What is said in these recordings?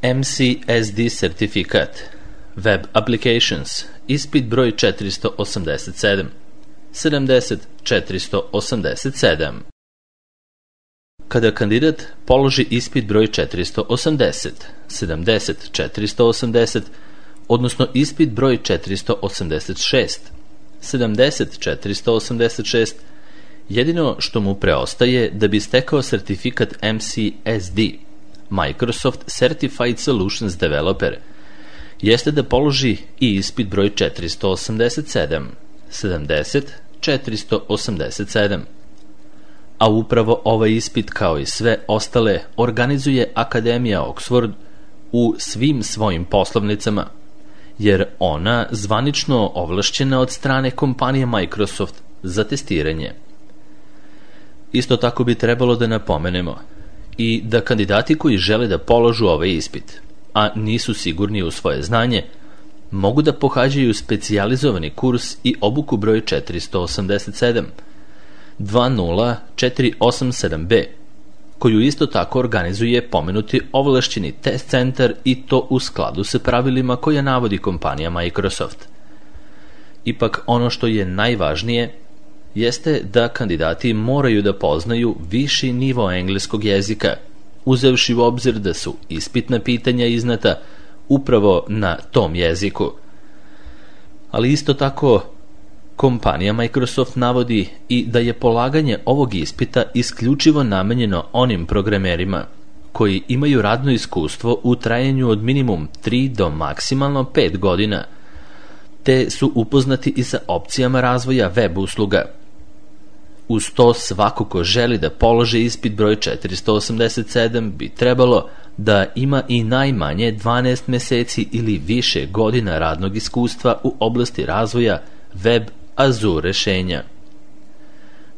MCSD sertifikat Web Applications, ispit broj 487 70-487. Kada kandidat položi ispit broj 480, 70-480, odnosno ispit broj 486, 70-486, jedino što mu preostaje da bi stekao sertifikat MCSD, Microsoft Certified Solutions Developer, jeste da položi i ispit broj 487, 70-487. A upravo ovaj ispit, kao i sve ostale, organizuje Akademija Oxford u svim svojim poslovnicama, jer ona zvanično ovlašćena od strane kompanije Microsoft za testiranje. Isto tako bi trebalo da napomenemo i da kandidati koji žele da položu ovaj ispit, a nisu sigurni u svoje znanje, mogu da pohađaju specijalizovani kurs i obuku broj 487 20487B, koju isto tako organizuje pomenuti ovlašćeni test centar, i to u skladu sa pravilima koja navodi kompanija Microsoft. Ipak ono što je najvažnije jeste da kandidati moraju da poznaju viši nivo engleskog jezika, uzevši u obzir da su ispitna pitanja iznata upravo na tom jeziku. Ali isto tako kompanija Microsoft navodi i da je polaganje ovog ispita isključivo namenjeno onim programerima koji imaju radno iskustvo u trajanju od minimum 3 do maksimalno 5 godina, te su upoznati i sa opcijama razvoja web usluga. Uz to, svako ko želi da položi ispit broj 487 bi trebalo da ima i najmanje 12 meseci ili više godina radnog iskustva u oblasti razvoja web Azure rešenja.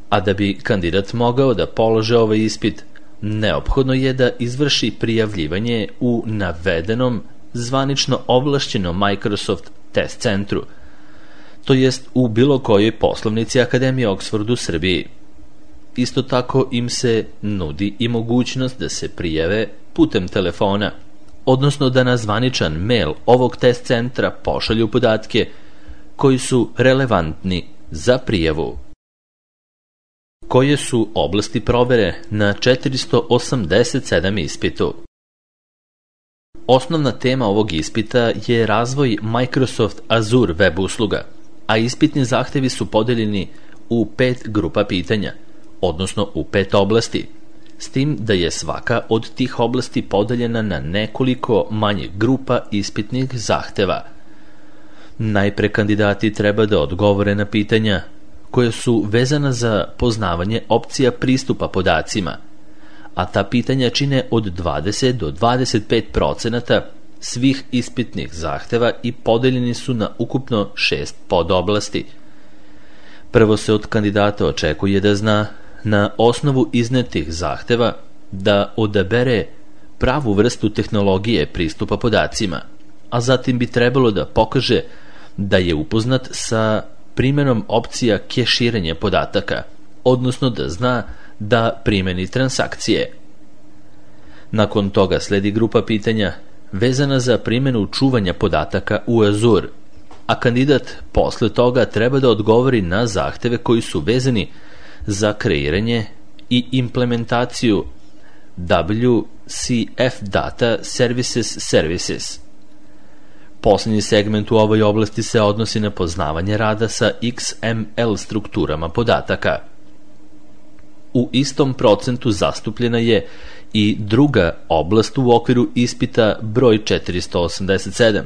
A da bi kandidat mogao da polože ovaj ispit, neophodno je da izvrši prijavljivanje u navedenom zvanično ovlašćenom Microsoft test centru, to jest u bilo kojoj poslovnici Akademije Oxford u Srbiji. Isto tako im se nudi i mogućnost da se prijave putem telefona, odnosno da na zvaničan mail ovog test centra pošalju podatke koji su relevantni za prijavu. Koje su oblasti provere na 487 ispitu? Osnovna tema ovog ispita je razvoj Microsoft Azure web usluga, a ispitni zahtevi su podeljeni u 5 grupa pitanja, odnosno u 5 oblasti, s tim da je svaka od tih oblasti podeljena na nekoliko manjih grupa ispitnih zahteva. Najpre kandidati treba da odgovore na pitanja koje su vezana za poznavanje opcija pristupa podacima, a ta pitanja čine od 20 do 25% svih ispitnih zahteva i podeljeni su na ukupno 6 podoblasti. Prvo se od kandidata očekuje da zna, na osnovu iznetih zahteva, da odabere pravu vrstu tehnologije pristupa podacima, a zatim bi trebalo da pokaže da je upoznat sa primjenom opcija keširanja podataka, odnosno da zna da primeni transakcije. Nakon toga sledi grupa pitanja vezana za primjenu čuvanja podataka u Azure, a kandidat posle toga treba da odgovori na zahteve koji su vezani za kreiranje i implementaciju WCF Data Services. Poslednji segment u ovoj oblasti se odnosi na poznavanje rada sa XML strukturama podataka. U istom procentu zastupljena je i druga oblast u okviru ispita broj 487,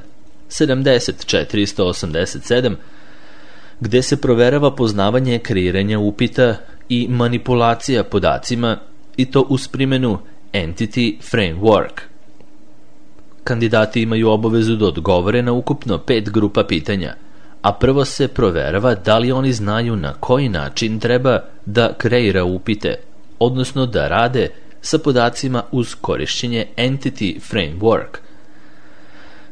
70-487, gde se proverava poznavanje kreiranja upita i manipulacija podacima, i to uz primjenu Entity Framework. Kandidati imaju obavezu da odgovore na ukupno 5 grupa pitanja, a prvo se proverava da li oni znaju na koji način treba da kreira upite, odnosno da rade sa podacima uz korišćenje Entity Framework.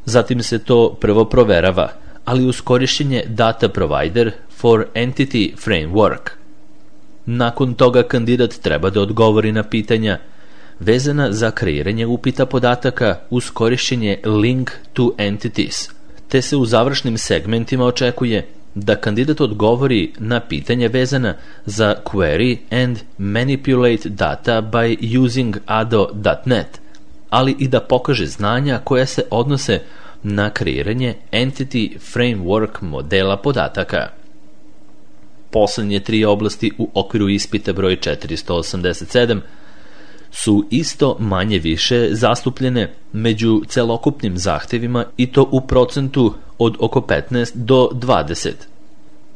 Zatim se to prvo proverava, ali uz korišćenje Data Provider for Entity Framework. Nakon toga kandidat treba da odgovori na pitanja vezana za kreiranje upita podataka uz korišćenje link to entities, te se u završnim segmentima očekuje da kandidat odgovori na pitanja vezana za query and manipulate data by using ado.net, ali i da pokaže znanja koja se odnose na kreiranje entity framework modela podataka. Poslednje 3 oblasti u okviru ispita broj 487 su isto manje više zastupljene među celokupnim zahtevima i to u procentu od oko 15 do 20.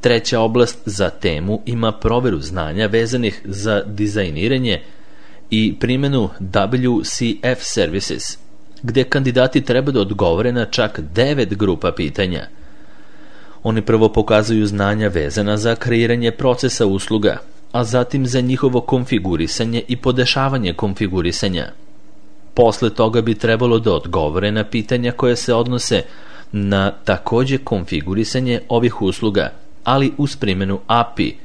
Treća oblast za temu ima proveru znanja vezanih za dizajniranje i primjenu WCF services, gde kandidati treba da odgovore na čak 9 grupa pitanja. Oni prvo pokazuju znanja vezana za kreiranje procesa usluga, a zatim za njihovo konfigurisanje i podešavanje konfigurisanja. Posle toga bi trebalo da odgovore na pitanja koje se odnose na takođe konfigurisanje ovih usluga, ali uz primjenu API,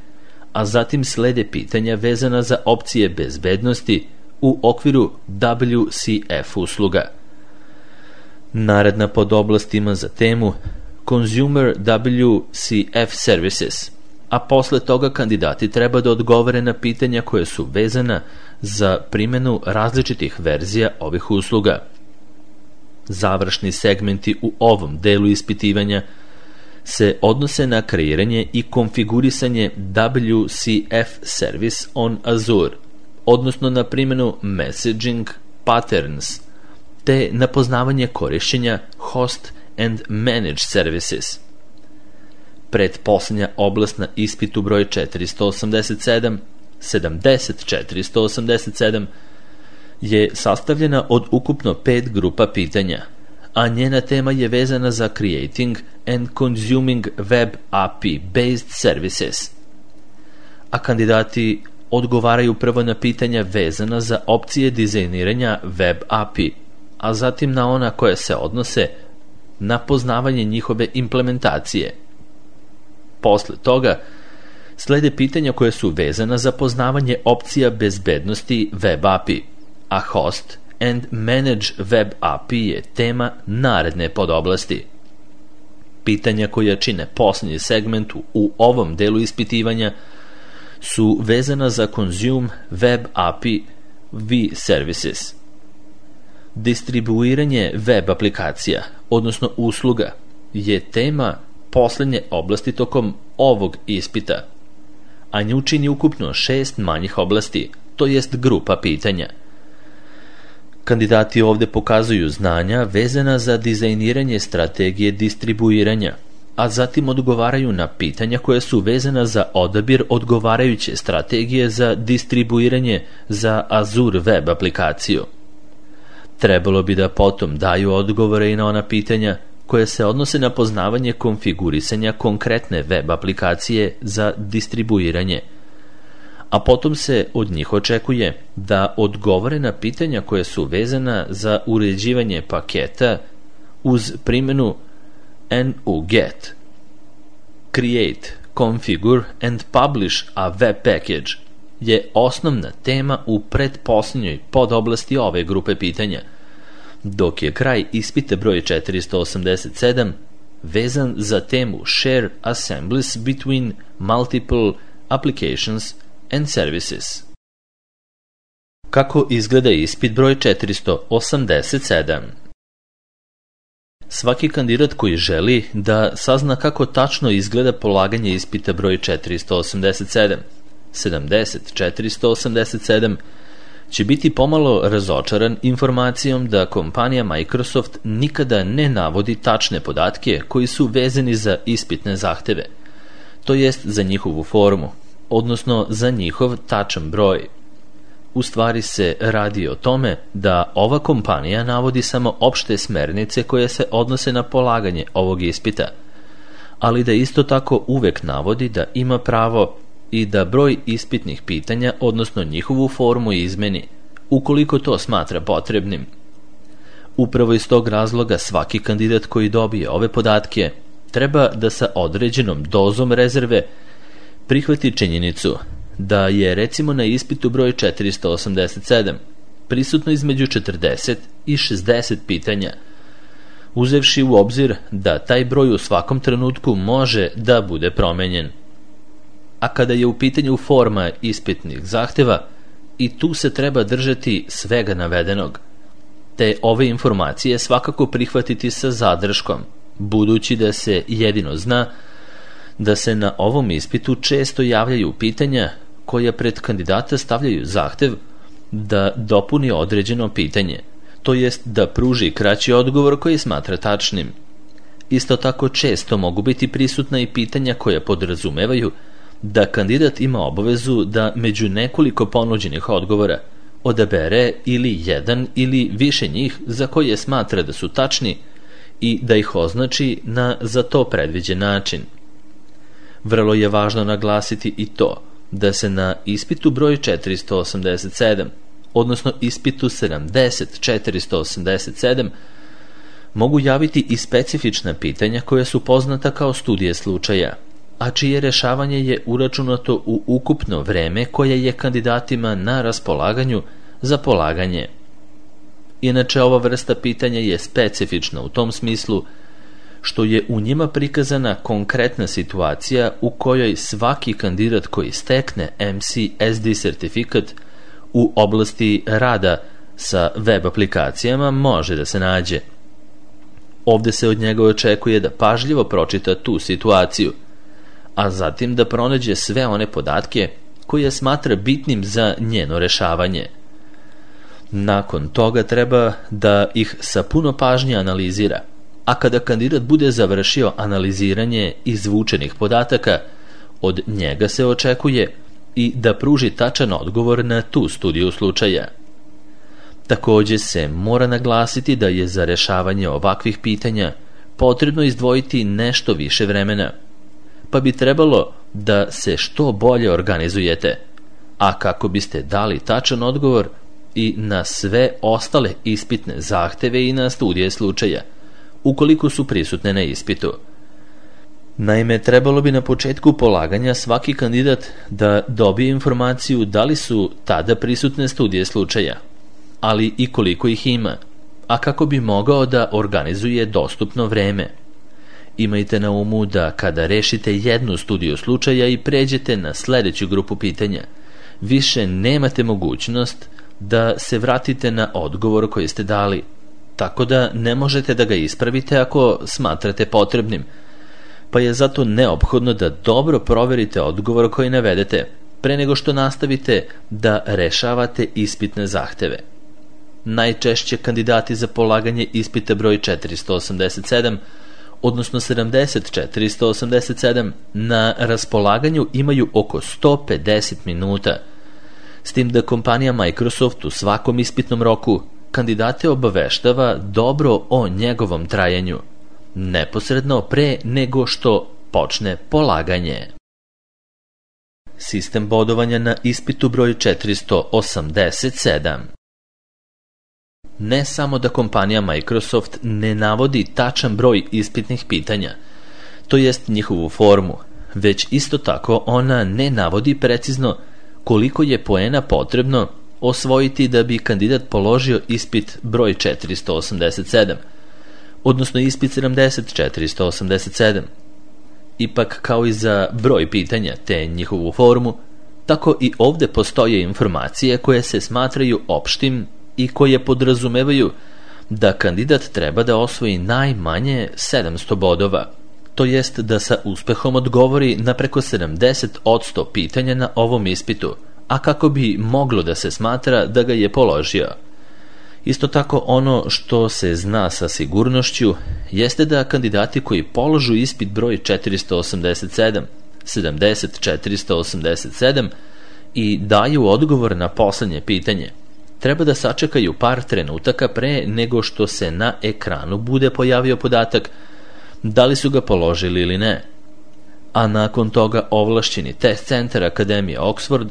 a zatim slede pitanja vezana za opcije bezbednosti u okviru WCF usluga. Naredna podoblast ima za temu Consumer WCF Services, a posle toga kandidati treba da odgovore na pitanja koje su vezana za primjenu različitih verzija ovih usluga. Završni segmenti u ovom delu ispitivanja se odnose na kreiranje i konfigurisanje WCF Service on Azure, odnosno na primjenu Messaging Patterns, te na poznavanje korišćenja Host and Manage Services. Pretposlednja oblast na ispitu broj 487 je sastavljena od ukupno 5 grupa pitanja, a njena tema je vezana za Creating and Consuming Web API-based Services. A kandidati odgovaraju prvo na pitanja vezana za opcije dizajniranja Web API, a zatim na ona koja se odnose na poznavanje njihove implementacije. Posle toga slede pitanja koje su vezana za poznavanje opcija bezbednosti Web API, a Host and Manage Web API je tema naredne podoblasti. Pitanja koja čine poslednji segment u ovom delu ispitivanja su vezana za Consume Web API V Services. Distribuiranje web aplikacija, odnosno usluga, je tema poslednje oblasti tokom ovog ispita, a nju čini ukupno 6 manjih oblasti, to jest grupa pitanja. Kandidati ovde pokazuju znanja vezana za dizajniranje strategije distribuiranja, a zatim odgovaraju na pitanja koje su vezana za odabir odgovarajuće strategije za distribuiranje za Azure web aplikaciju. Trebalo bi da potom daju odgovore i na ona pitanja koje se odnose na poznavanje konfigurisanja konkretne web aplikacije za distribuiranje, a potom se od njih očekuje da odgovore na pitanja koje su vezana za uređivanje paketa uz primjenu NuGet. Create, configure and publish a web package je osnovna tema u pretposlednjoj podoblasti ove grupe pitanja, dok je kraj ispita broj 487 vezan za temu Share Assemblies between Multiple Applications and Services. Kako izgleda ispit broj 487? Svaki kandidat koji želi da sazna kako tačno izgleda polaganje ispita broj 487 će biti pomalo razočaran informacijom da kompanija Microsoft nikada ne navodi tačne podatke koji su vezani za ispitne zahteve, to jest za njihovu formu, odnosno za njihov tačan broj. U stvari se radi o tome da ova kompanija navodi samo opšte smernice koje se odnose na polaganje ovog ispita, ali da isto tako uvek navodi da ima pravo i da broj ispitnih pitanja, odnosno njihovu formu, izmeni, ukoliko to smatra potrebnim. Upravo iz tog razloga svaki kandidat koji dobije ove podatke treba da sa određenom dozom rezerve prihvati činjenicu da je recimo na ispitu broj 487 prisutno između 40 i 60 pitanja, uzevši u obzir da taj broj u svakom trenutku može da bude promenjen. A kada je u pitanju forma ispitnih zahteva, i tu se treba držati svega navedenog, te ove informacije svakako prihvatiti sa zadrškom, budući da se jedino zna da se na ovom ispitu često javljaju pitanja koja pred kandidata stavljaju zahtev da dopuni određeno pitanje, to jest da pruži kraći odgovor koji smatra tačnim. Isto tako često mogu biti prisutna i pitanja koja podrazumevaju da kandidat ima obavezu da među nekoliko ponuđenih odgovora odabere ili jedan ili više njih za koje smatra da su tačni i da ih označi na za to predviđen način. Vrlo je važno naglasiti i to da se na ispitu broj 487, odnosno ispitu 70-487, mogu javiti i specifična pitanja koja su poznata kao studije slučaja, a čije rešavanje je uračunato u ukupno vreme koje je kandidatima na raspolaganju za polaganje. Inače, ova vrsta pitanja je specifična u tom smislu što je u njima prikazana konkretna situacija u kojoj svaki kandidat koji stekne MCSD sertifikat u oblasti rada sa web aplikacijama može da se nađe. Ovde se od njega očekuje da pažljivo pročita tu situaciju, a zatim da pronađe sve one podatke koje smatra bitnim za njeno rešavanje. Nakon toga treba da ih sa puno pažnje analizira, a kada kandidat bude završio analiziranje izvučenih podataka, od njega se očekuje i da pruži tačan odgovor na tu studiju slučaja. Takođe se mora naglasiti da je za rešavanje ovakvih pitanja potrebno izdvojiti nešto više vremena, pa bi trebalo da se što bolje organizujete, a kako biste dali tačan odgovor i na sve ostale ispitne zahteve i na studije slučaja, ukoliko su prisutne na ispitu. Naime, trebalo bi na početku polaganja svaki kandidat da dobije informaciju da li su tada prisutne studije slučaja, ali i koliko ih ima, a kako bi mogao da organizuje dostupno vreme. Imajte na umu da kada rešite jednu studiju slučaja i pređete na sledeću grupu pitanja, više nemate mogućnost da se vratite na odgovor koji ste dali, tako da ne možete da ga ispravite ako smatrate potrebnim, pa je zato neophodno da dobro proverite odgovor koji navedete pre nego što nastavite da rešavate ispitne zahteve. Najčešće kandidati za polaganje ispita broj 487, odnosno 70-487, na raspolaganju imaju oko 150 minuta, s tim da kompanija Microsoft u svakom ispitnom roku kandidate obaveštava dobro o njegovom trajanju, neposredno pre nego što počne polaganje. Sistem bodovanja na ispitu broj 487. Ne samo da kompanija Microsoft ne navodi tačan broj ispitnih pitanja, to jest njihovu formu, već isto tako ona ne navodi precizno koliko je poena potrebno osvojiti da bi kandidat položio ispit broj 487, odnosno ispit 70-487. Ipak, kao i za broj pitanja te njihovu formu, tako i ovde postoje informacije koje se smatraju opštim i koje podrazumevaju da kandidat treba da osvoji najmanje 700 bodova, to jest da sa uspehom odgovori na preko 70% pitanja na ovom ispitu, a kako bi moglo da se smatra da ga je položio. Isto tako, ono što se zna sa sigurnošću jeste da kandidati koji položu ispit broj 487, 70-487 i daju odgovor na poslednje pitanje, treba da sačekaju par trenutaka pre nego što se na ekranu bude pojavio podatak da li su ga položili ili ne. A nakon toga ovlašćeni test centar Akademije Oxford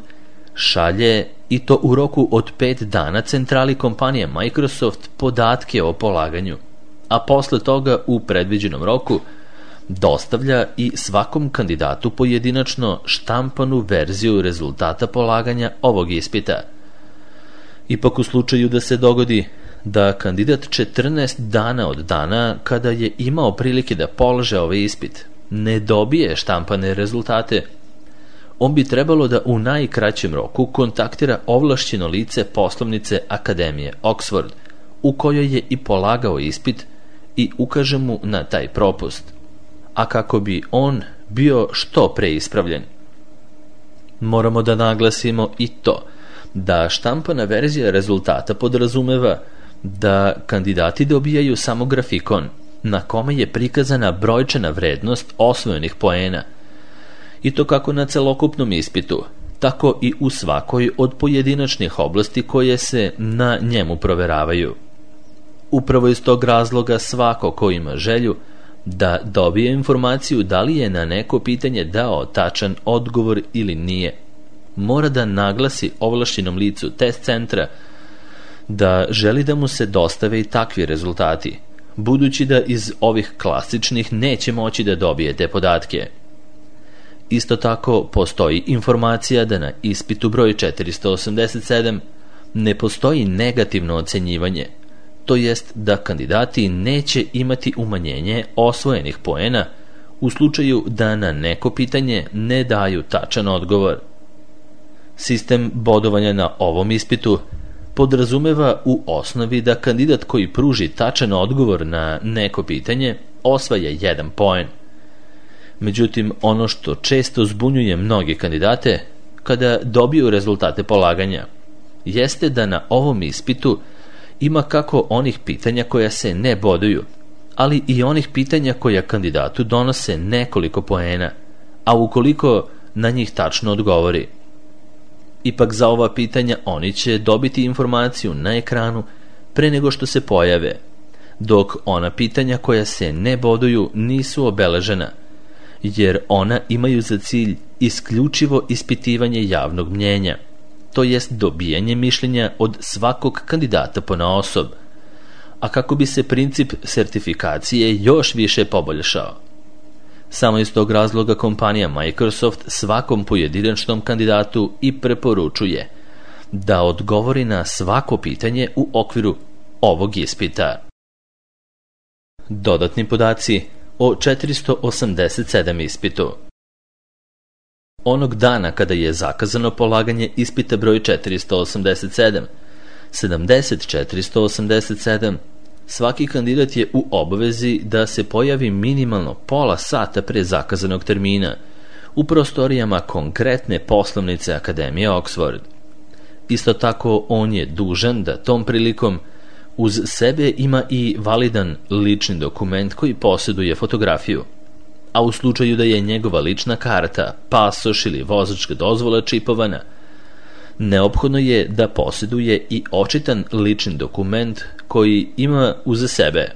šalje, i to u roku od 5 dana, centrali kompanije Microsoft podatke o polaganju, a posle toga u predviđenom roku dostavlja i svakom kandidatu pojedinačno štampanu verziju rezultata polaganja ovog ispita. Ipak u slučaju da se dogodi da kandidat 14 dana od dana kada je imao prilike da polaže ovaj ispit ne dobije štampane rezultate, on bi trebalo da u najkraćem roku kontaktira ovlašćeno lice poslovnice Akademije Oxford, u kojoj je i polagao ispit, i ukaže mu na taj propust, a kako bi on bio što pre ispravljen. Moramo da naglasimo i to da štampana verzija rezultata podrazumeva da kandidati dobijaju samo grafikon na kome je prikazana brojčana vrednost osvojenih poena, i to kako na celokupnom ispitu, tako i u svakoj od pojedinačnih oblasti koje se na njemu proveravaju. Upravo iz tog razloga svako ko ima želju da dobije informaciju da li je na neko pitanje dao tačan odgovor ili nije, mora da naglasi ovlašćenom licu test centra da želi da mu se dostave i takvi rezultati, budući da iz ovih klasičnih neće moći da dobije te podatke. Isto tako postoji informacija da na ispitu broj 487 ne postoji negativno ocenjivanje, to jest da kandidati neće imati umanjenje osvojenih poena u slučaju da na neko pitanje ne daju tačan odgovor. Sistem bodovanja na ovom ispitu podrazumeva u osnovi da kandidat koji pruži tačan odgovor na neko pitanje osvaja 1 poen. Međutim, ono što često zbunjuje mnoge kandidate kada dobiju rezultate polaganja jeste da na ovom ispitu ima kako onih pitanja koja se ne boduju, ali i onih pitanja koja kandidatu donose nekoliko poena, a ukoliko na njih tačno odgovori. Ipak za ova pitanja oni će dobiti informaciju na ekranu pre nego što se pojave, dok ona pitanja koja se ne boduju nisu obeležena, jer ona imaju za cilj isključivo ispitivanje javnog mnjenja, to jest dobijanje mišljenja od svakog kandidata ponaosob, a kako bi se princip sertifikacije još više poboljšao. Samo iz tog razloga kompanija Microsoft svakom pojedinačnom kandidatu i preporučuje da odgovori na svako pitanje u okviru ovog ispita. Dodatni podaci o 487 ispitu. Onog dana kada je zakazano polaganje ispita broj 487, 487, svaki kandidat je u obavezi da se pojavi minimalno pola sata pre zakazanog termina u prostorijama konkretne poslovnice Akademije Oxford. Isto tako, on je dužan da tom prilikom uz sebe ima i validan lični dokument koji posjeduje fotografiju, a u slučaju da je njegova lična karta, pasoš ili vozačka dozvola čipovana, neophodno je da posjeduje i očitan lični dokument koji ima uz sebe.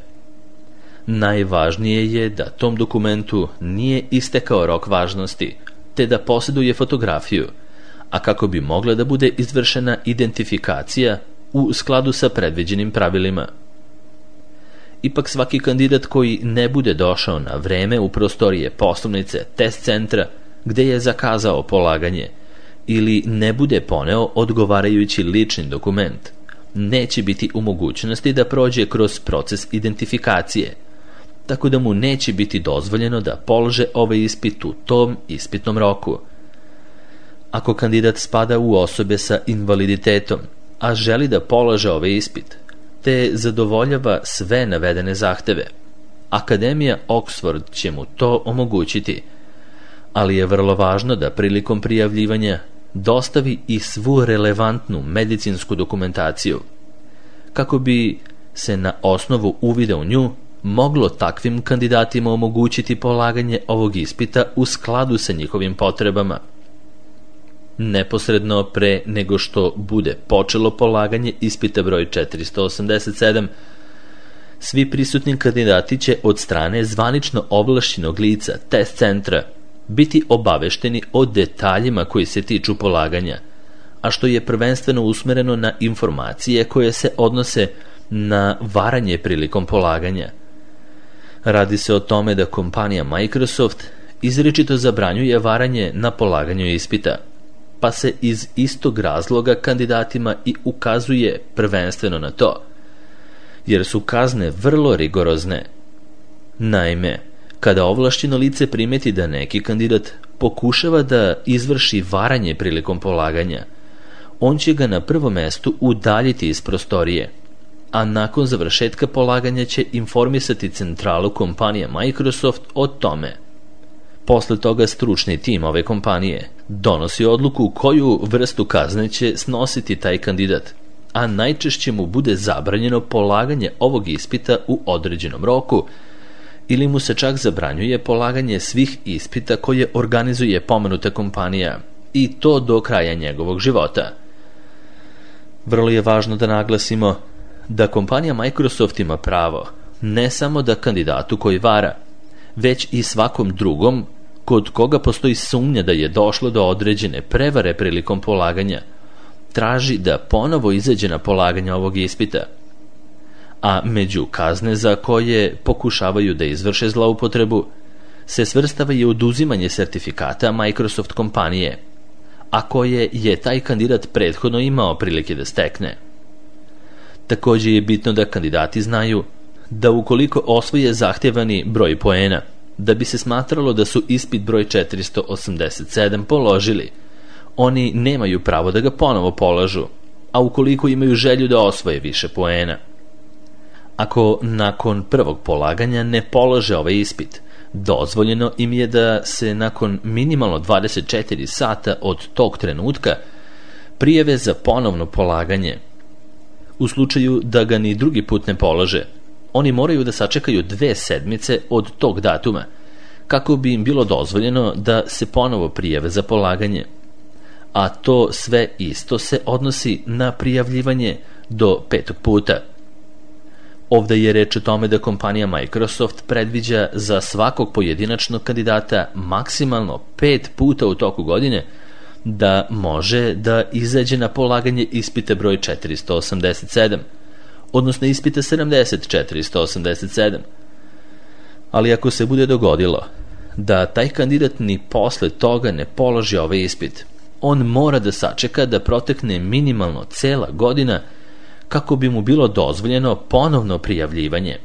Najvažnije je da tom dokumentu nije istekao rok važnosti, te da posjeduje fotografiju, a kako bi mogla da bude izvršena identifikacija u skladu sa predviđenim pravilima. Ipak svaki kandidat koji ne bude došao na vreme u prostorije poslovnice test centra gde je zakazao polaganje ili ne bude poneo odgovarajući lični dokument, neće biti u mogućnosti da prođe kroz proces identifikacije, tako da mu neće biti dozvoljeno da polože ovaj ispit u tom ispitnom roku. Ako kandidat spada u osobe sa invaliditetom, a želi da polaže ovaj ispit, te zadovoljava sve navedene zahteve, Akademija Oxford će mu to omogućiti, ali je vrlo važno da prilikom prijavljivanja dostavi i svu relevantnu medicinsku dokumentaciju, kako bi se na osnovu uvida u nju moglo takvim kandidatima omogućiti polaganje ovog ispita u skladu sa njihovim potrebama. Neposredno pre nego što bude počelo polaganje ispita broj 487, svi prisutni kandidati će od strane zvanično ovlašćenog lica test centra biti obavešteni o detaljima koji se tiču polaganja, a što je prvenstveno usmereno na informacije koje se odnose na varanje prilikom polaganja. Radi se o tome da kompanija Microsoft izričito zabranjuje varanje na polaganju ispita, pa se iz istog razloga kandidatima i ukazuje prvenstveno na to, jer su kazne vrlo rigorozne. Naime, kada ovlašćeno lice primeti da neki kandidat pokušava da izvrši varanje prilikom polaganja, on će ga na prvom mestu udaljiti iz prostorije, a nakon završetka polaganja će informisati centralu kompanije Microsoft o tome. Posle toga stručni tim ove kompanije donosi odluku koju vrstu kazne će snositi taj kandidat, a najčešće mu bude zabranjeno polaganje ovog ispita u određenom roku ili mu se čak zabranjuje polaganje svih ispita koje organizuje pomenuta kompanija, i to do kraja njegovog života. Vrlo je važno da naglasimo da kompanija Microsoft ima pravo ne samo da kandidatu koji vara, već i svakom drugom kod koga postoji sumnja da je došlo do određene prevare prilikom polaganja, traži da ponovo izađe na polaganje ovog ispita. A među kazne za koje pokušavaju da izvrše zloupotrebu se svrstava i oduzimanje sertifikata Microsoft kompanije, a koje je taj kandidat prethodno imao prilike da stekne. Također je bitno da kandidati znaju da ukoliko osvoje zahtevani broj poena, da bi se smatralo da su ispit broj 487 položili, oni nemaju pravo da ga ponovo polažu, a ukoliko imaju želju da osvoje više poena. Ako nakon prvog polaganja ne polože ovaj ispit, dozvoljeno im je da se nakon minimalno 24 sata od tog trenutka prijave za ponovno polaganje. U slučaju da ga ni drugi put ne polože, oni moraju da sačekaju 2 sedmice od tog datuma, kako bi im bilo dozvoljeno da se ponovo prijave za polaganje. A to sve isto se odnosi na prijavljivanje do 5. puta. Ovde je reč o tome da kompanija Microsoft predviđa za svakog pojedinačnog kandidata maksimalno 5 puta u toku godine da može da izađe na polaganje ispita broj 487, odnosno ispita 487. Ali ako se bude dogodilo da taj kandidat ni posle toga ne položi ovaj ispit, on mora da sačeka da protekne minimalno cela godina kako bi mu bilo dozvoljeno ponovno prijavljivanje.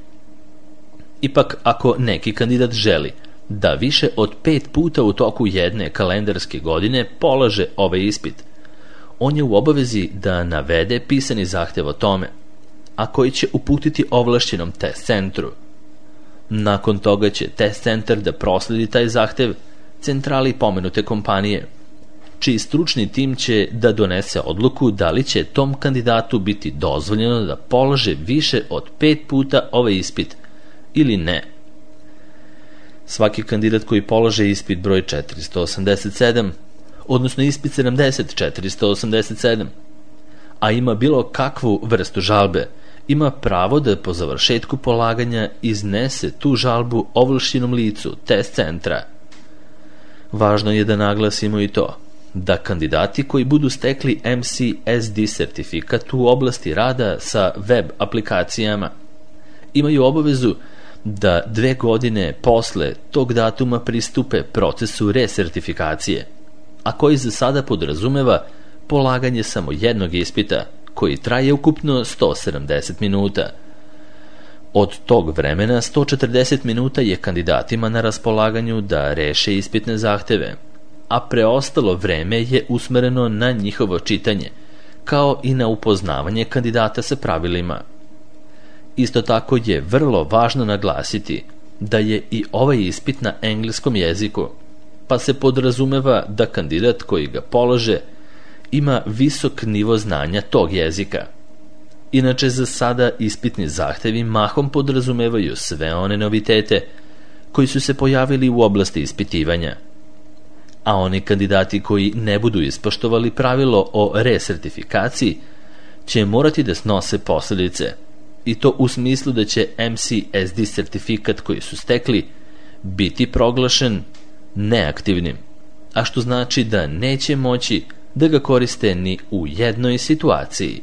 Ipak, ako neki kandidat želi da više od 5 puta u toku jedne kalendarske godine polaže ovaj ispit, on je u obavezi da navede pisani zahtev o tome, a koji će uputiti ovlašćenom test centru. Nakon toga će test centar da prosledi taj zahtev centrali pomenute kompanije, čiji stručni tim će da donese odluku da li će tom kandidatu biti dozvoljeno da polaže više od 5 puta ovaj ispit ili ne. Svaki kandidat koji polaže ispit broj 487, odnosno ispit 487, a ima bilo kakvu vrstu žalbe, ima pravo da po završetku polaganja iznese tu žalbu ovlašćenom licu test centra. Važno je da naglasimo i to da kandidati koji budu stekli MCSD sertifikat u oblasti rada sa web aplikacijama imaju obavezu da 2 godine posle tog datuma pristupe procesu resertifikacije, a koji za sada podrazumeva polaganje samo jednog ispita koji traje ukupno 170 minuta. Od tog vremena 140 minuta je kandidatima na raspolaganju da reše ispitne zahteve, a preostalo vreme je usmereno na njihovo čitanje, kao i na upoznavanje kandidata sa pravilima. Isto tako je vrlo važno naglasiti da je i ovaj ispit na engleskom jeziku, pa se podrazumeva da kandidat koji ga polože ima visok nivo znanja tog jezika. Inače, za sada ispitni zahtevi mahom podrazumevaju sve one novitete koji su se pojavili u oblasti ispitivanja, a oni kandidati koji ne budu ispoštovali pravilo o resertifikaciji će morati da snose posljedice, i to u smislu da će MCSD sertifikat koji su stekli biti proglašen neaktivnim, a što znači da neće moći da ga koriste ni u jednoj situaciji.